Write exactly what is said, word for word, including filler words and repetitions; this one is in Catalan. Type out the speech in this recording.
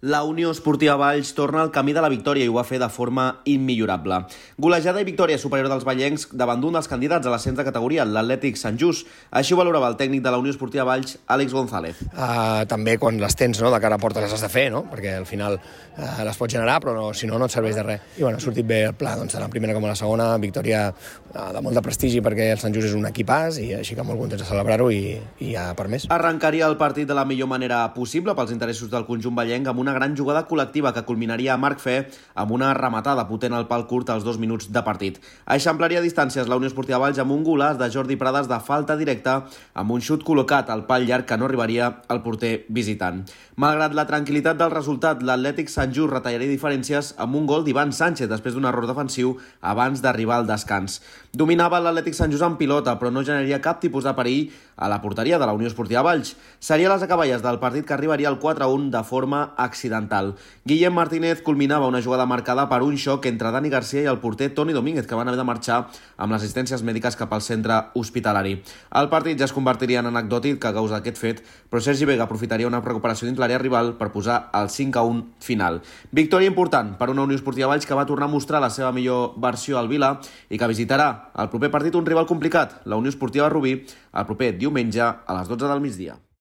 La Unió Esportiva Valls torna al camí de la victòria i ho va fer de forma immillorable. Golejada i victòria superior dels vallencs davant d'un dels candidats a l'ascens de categoria, l'Atlètic Sant Just. Així ho valorava el tècnic de la Unió Esportiva Valls, Àlex González. Uh, també quan les tens, no, de cara a porta les has de fer, no? Perquè al final uh, les pots generar, però no, si no, no et serveix de res. I bueno, ha sortit bé el pla, doncs, tant la primera com a la segona, victòria uh, de molt de prestigi perquè el Sant Just és un equipàs i així que molt contents de celebrar-ho i, i ja per més. Arrencaria el partit de la millor manera possible pels interessos del conjunt vallenc amb una gran jugada col·lectiva que culminaria a Marc Fe amb una rematada potent al pal curt als dos minuts de partit. Eixamplaria distàncies la Unió Esportiva Valls amb un golaç de Jordi Prades de falta directa amb un xut col·locat al pal llarg que no arribaria al porter visitant. Malgrat la tranquil·litat del resultat, l'Atlètic Sant Just retallaria diferències amb un gol d'Ivan Sánchez després d'un error defensiu abans d'arribar al descans. Dominava l'Atlètic Sant Just en pilota, però no generaria cap tipus de perill a la porteria de la Unió Esportiva Valls. Seria les acaballes del partit que arribaria al quatre a un de forma accidental. Guillem Martínez culminava una jugada marcada per un xoc entre Dani Garcia i el porter Toni Domínguez, que van haver de marxar amb les assistències mèdiques cap al centre hospitalari. El partit ja es convertiria en anecdòtic a causa d'aquest fet, però Sergi Vega aprofitaria una recuperació dins l'àrea rival per posar el cinc a un final. Victòria important per una Unió Esportiva Valls que va tornar a mostrar la seva millor versió al Vila i que visitarà el proper partit un rival complicat, la Unió Esportiva Rubí, el proper diumenge a les dotze del migdia.